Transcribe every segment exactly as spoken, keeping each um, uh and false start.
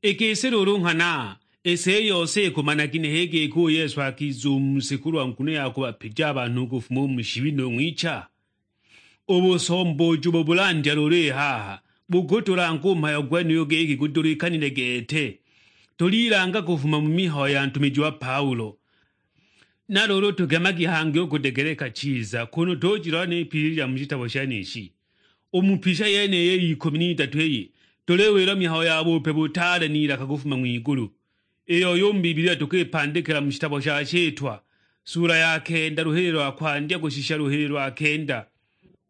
I gisi luulu nghana, i si i yose ikumanagi nihi giki u Yesu akiza u mu si kulwa nguno ya kubapija a banhu u kufuma u mu shibi nu ng'wicha? U busombooji ubo bulandya luulu i haha, bukutulanga u mhayo gwenuyu giki gudulikanile gete. Tulilanga kufuma mu mihayo ya ntumiji wa Paulo. Na luulu tugemagi hangi u kudegeleka chiza, kunu tujilola n'ipili lya mu shitabo shenishi. U mu pisha yeniyi iy'ikumi n'idatu iyi, tuliwilwa mihayo ya bupe butaale n'ilaka kufuma ng'wigulu, iyo u mu Bibilia tukipandikila mu shitabo sha Shitwa, sula ya kenda, luhili lwa kwandya kushisha luhili lwa kenda.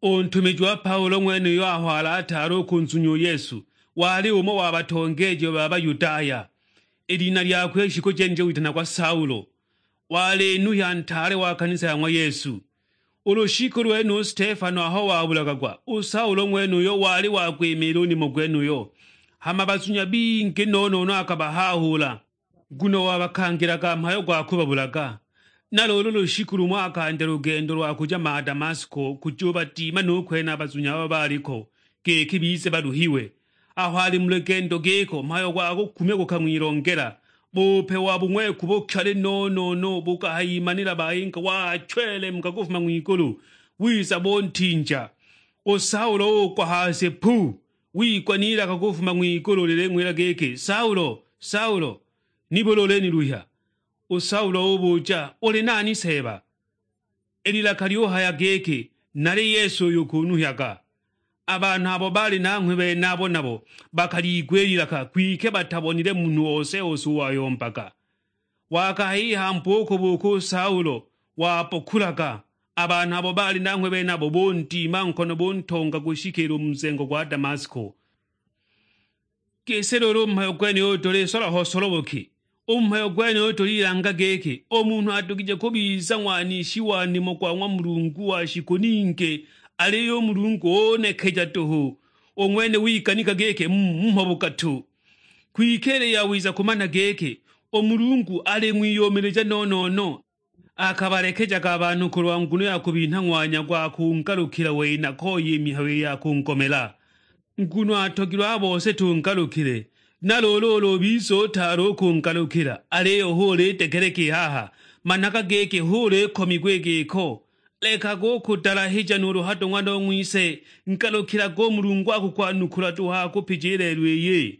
U ntumiji wa Paulo ng'wenuyo aho alataala u kunzunya u Yesu, wali umo wa batongeeji ba Bayudaya. I lina lyakwe i shiku jenije witanagwa Saulo. Wali nuhya ntaale wa kanisa ya ng'wa Yesu. U lushiku lwenulo Stefano aho wabulagagwa, u Saulo ng'wenuyo wali wakwimiila u nimo gwenuyo. Hama bazunya bingi no-no-no akabahahuula, nguno wabakangilaga mhayo gwa kubabulaga. Na luulu lushiku lumo akandya lugendo lwa kuja ma Damasko kujubadima nu kwene a bazunya abo baliko, giki bize baluhiwe. Aho ali mu lugendo giko, mhayo gwa kukumya gukang'wilongela. Bupe wa bung'weku bukali no-no-no bukahayimanila bayinga, wachwelemuka kufuma ng'wigulu, wiza buntinja. U Saulo ugwa ha si pu, wigwa n'ilaka kufuma ng'wigulu liling'wila giki, "Saulo, Saulo, nibuli uliniluhya?" U Saulo ubuja, "Uli nani Seeba?" I lilaka lyuhaya giki, "Nali Yesu uyo ukunuhyaga." A banhu abo baali nanghwe benabo nabo bakaliigwa i lilaka, kwike batabonile munhu ose-ose uo wayombaga. Wakahiiha mbuuku-buuku u Saulo, wabokulaga. A banhu abo baali nanghwe benabo bundima nkono buntonga kushikiila u mu nzengo gwa Damasko. Gisi luulu u mhayo gwenuyu tulisola ho solobo ki? U mhayo gwenuyu tulilanga giki, u munhu adugije kubiza ng'wanishi wa nimo gwa ng'wa Mulungu wa shiku ningi, aliyo u Mulungu unekeja duhu, u ng'wene wiganika giki mho bugatu. Kwike ili yawiza kumana giki, u Mulungu aling'wiyumilija no-no-no. Akabalekejaga a banhu kulwa nguno ya kubinha ng'wanya gwa kungalukila wei na koya i mihayo ya kungomela. Nguno atogilwe a bose tungalukile. Na luulu ulu ubiza utaali u kungalukila, aliyo hu ulidegeleka i haha, managa giki hu ulikomiagwa i giko. Lekaga u kudalahija nuulu hado ng'wana o ng'wise, ngalukilaga u Mulungu akukwanukula duhu akupije i lelo iyi.